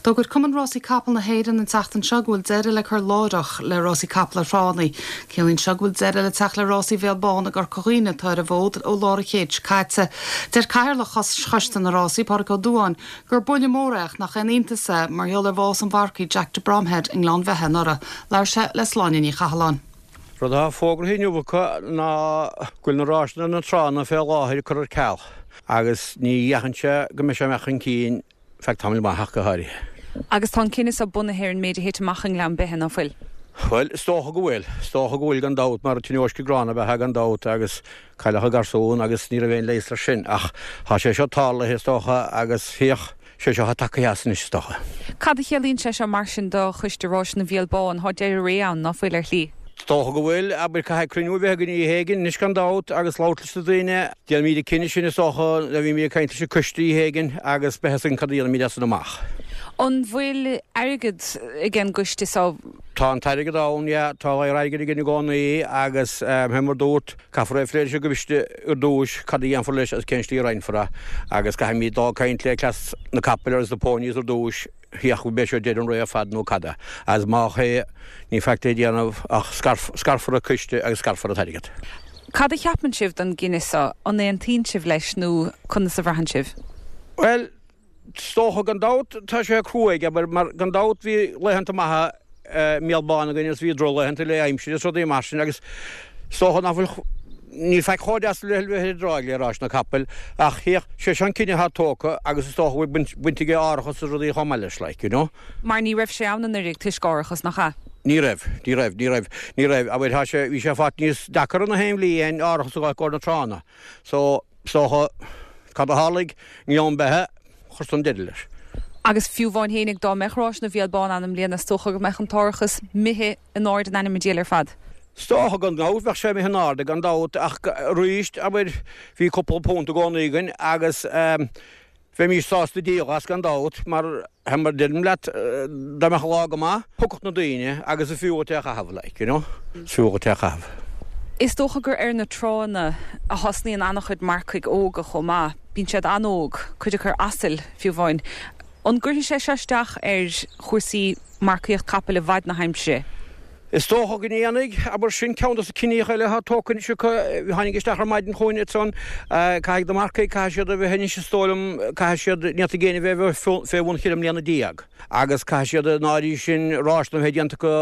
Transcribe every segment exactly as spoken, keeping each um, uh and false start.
D'fhógair Cumann Rásaí Capall na hÉireann an tseachtain seo go bhfuil deireadh le cur láithreach le rásaí capall ar thránna. Ciallaíonn seo go bhfuil deireadh le teacht le rásaí Bhéal Bán i gCorca Dhuibhne atá ar an bhfód ó lár an chéid caite. Deir Cathaoirleach Choiste na Rásaí Pádraig Ó Dúáin gur buille mór é ach nach aon iontas é mar gheall ar bhás an mharcaigh Jack de Bromhead i nGleann Bheithe anuraidh, Labhair sé le Sláine Ní Chathalláin. Rud atá fógartha inniu acu ná go bhfuil na rásanna na tránna fé láthair curtha ar ceal, agus ní dheachain sé go mbeidh sé amach chun cinn feadh tamaill maith go háirithe. Agus tá an cinneadh seo bunaithe ar an méid a thit amach i nGleann Beithe ná fuil. Well, is dócha go bhfuil, is dócha go bhfuil gan dabht mar tionóisc gránna ab ea gan dabht agus cailleadh garsún agus ní raibh aon leigheas leis sin ach tá sé seo tarlaithe is dócha agus féach sé seo tagtha as anois is dócha. Cad a chiallaíonn sé seo mar sin do choiste ráis na Bhéal Bán thá deireadh ré ann ná fuil ar shlí. Is dócha go bhfuil abair caithfidh cruinniú a bheith againn oíche éigin anois gan dabht agus labhairt leis na daoine. Déanfaimid an cinneadh sin is dócha a bhí ag caint leis an coiste oíche éigin agus beidh a fhios againn cad a dhéanfaimid as sin amach. An bhfuil airgead ag an gcoiste seo Tá an t-airgead ann yeah, tá airgead againn i gcónaí agus um, mar dúirt caithfear é a phlé leis an gcoiste ar dtús cad a dhéanfar leis agus cén slí a roinnfear é agus caithfimid dul caint le cleas na capaill agus na ponies ar dtús féach be seo deireadh an ré ar fad nó cad é. As má é ní faic le déanamh ach scarfar an coiste agus scarfar an t-airgead. Cad a cheapann sibh don gcinneadh seo an aontaíonn sibh leis nó conas a bhraitheann sibh? Well, is dócha gan dabht tá sé cruaidh mar mar gan dabht bhí laethanta maithe i mBéal Bán againn agus bhí drochlaethanta le aimsir is rudaí mar sin agus is dócha nach bhfuil ní faic chomh deas le bheith ar an dtráigh le rás na capaill ach féach sé sin cinneadh atá tógtha agus is dócha bhfuil baint aige árachas is rudaí chomh maith leis like, you know. Mar ní raibh sé ann anuraidh toisc árachas nach ea. Ní raibh, ní raibh, ní raibh, ní raibh, abair tá sé bhí sé fad níos deacra na haon bhliain árachas a fháil go na tránna. So is dócha cad a tharla i nGleann Beithe chuir san deireadh leis. Agus fiú amháin fhéinig dá mbeadh rás na Bhéal Bán ann i mbliana is dócha go mbeadh an t-árachas imithe in airde in ainm an diabhail ar fad. Is dócha gan dabht bheadh sé imithe in airde gan dabht ach arís abair bhí cúpla punt i gcónaí againn agus um, bheimís sásta díol as gan dabht mar mar deirim leat dá mbeadh lá go maith thiocfadh na daoine agus is fiú é a chaitheamh like, you know? Is fiú é a chaitheamh. Is dócha gur ar na tránna a thosnaíonn an-chuid marcaigh óga chomh maith, bíonn siad an-óg, cuid acu ar asail fiú amháin. An gcuirfidh sé seo isteach ar chúrsaí marcaíocht capaill i bhfad na haimsire. Is dócha go ndéanfaidh abair sin ceann de na cinntí eile atá tógtha anois acu tháinig isteach ar maidin chugainn ansan caithfidh na marcaigh caithfidh siad a bheith anois is dóigh liom caithfidh siad ní fhéadfaidh éinne bheith fé bhun cheithre mbliana déag. Agus caithfidh siad an áirithe sin rásanna a bheith déanta acu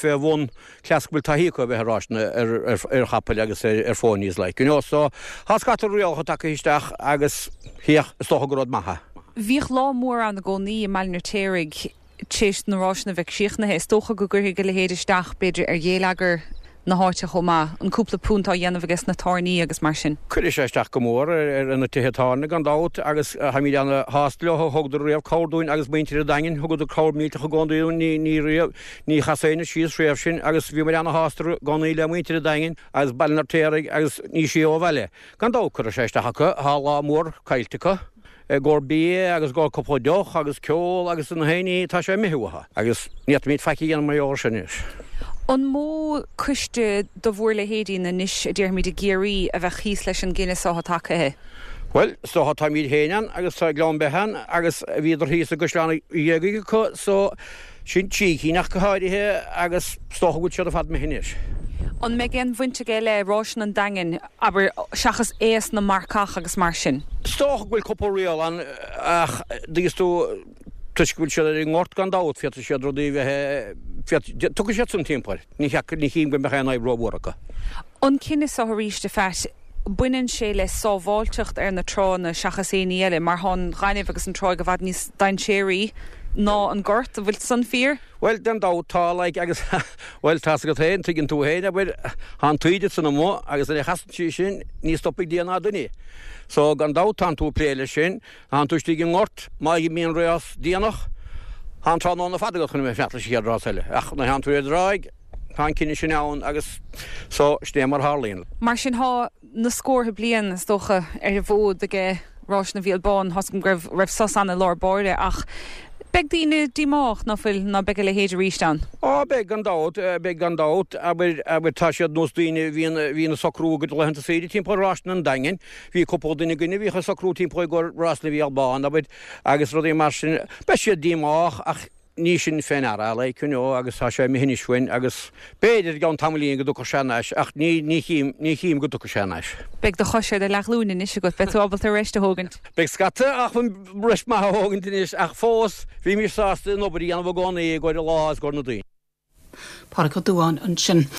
fé bhun cleas go bhfuil taithí acu a bheith ar rásanna ar chapaill agus ar phonies like. You know, so tá scata rialacha tagtha isteach agus féach is dócha gur rud maith é. Bhíodh lá mór ann i gcónaí i mBaile an Fheirtéaraigh tar éis na rásanna bheith críochnaithe. Is dócha go gcuirfidh a leithéid isteach b'fhéidir ar gheilleagar na háite chomh maith, an cúpla punt á dhéanamh aige na tábhairní agus mar sin. Cuirfidh sé isteach go mór ar na tithe tábhairne gan dabht agus táimid ana-shásta leo thugadar riamh cabhair dúinn agus muintir an Daingin thugadar cabhair millteach i gcónaí dúinn ní ní riamh ní chas éinne síos riamh sin agus bhíomar ana-shásta i gcónaí le muintir an Daingin agus Baile an Fheirtéaraigh agus ní sí ó bhaile. Gan dabht cuirfidh sé isteach acu tá lá mór caillte acu. gur bia agus gur cúpla deoch agus ceol agus na héine tá sé imithe uathu agus ní fhéadfaimid faic a dhéanamh mar gheall sin anois. An mó coiste do bhur leithéidí anois a déarfaimid i gCiarraí a bheith thíos leis an gcinneadh seo atá tagtha. Well, so táimid féin ann agus tá Gleann Beithe ann agus bhíodar thíos i gCaisleán Ghéagaigh acu so sin trí cinn ach go háirithe agus is dócha go bhfuil siad ar fad imithe anois. An mbeidh aon bhaint aige le rásanna an Daingin abair seachas aos na marcach agus mar sin. Is dócha go bhfuil cúpla riail ann ach dtuigeann tú toisc go bhfuil siad ar an ngort gan dabht féadfaidh siad rudaí bheith tugann siad san timpeall ní ní chím go mbeadh aon fhadhb rómhór acu. An cinneadh seo arís a Phat baineann sé le sábháilteacht ar na tránna seachas aon ní eile mar tá an ghainimh agus an tráigh i bhfad níos dainséaraí ná an gort an bhfuil san fíor? Well den dabht tá like agus well tá go féin tuigeann tú féin abair tá an taoide san amuigh agus a chasann sí sin ní stopfaidh Dia ná duine. So gan dabht tá tú plé leis sin, tá tú istigh i ngort má bhíonn rás déanach, tá an tráthnóna fada agat chun bheith leis an chéad rás eile. Ach na tá tú ar an dtráigh tá an cinneadh sin ann agus so sin é mar tharlaíonn. Mar sin tá na scórtha bliain is dócha ar an bhfód aige Rás na Bhéal Bán thosm go raibh sos ann i lár báire ach Beidh daoine díomách ná fuil ná beidh a leithéid arís ann. Á beidh gan dabht, beidh gan dabht, abair, abair tá siad nós daoine a bhíonn, a bhíonn ag socrú a gcuid laethanta saoire timpeall rásanna an Daingin, bhí cúpla duine againn a bhíodh ag socrú timpeall i gcomhair rásanna Bhéal Bán, abair, agus rudaí mar sin. Beidh siad díomách ach ní sin fé ndeara, like, you know, agus tá sé imithe anois uainn agus b'fhéidir i gceann tamaillín go dtiocfadh sé thar n-ais ach ní, ní chím, ní chím go dtiocfaidh sé thar n-ais. Beidh do chois ar do leathghlúin anois agat, beidh tú ábalta rest a thógaint. Beidh scata acmhainn rest maith a thógaint anois ach fós bhímis sásta an obair a dhéanamh i gcónaí i gcomhair an lá is i gcomhair na daoine. Pádraig Ó Dubháin ansin.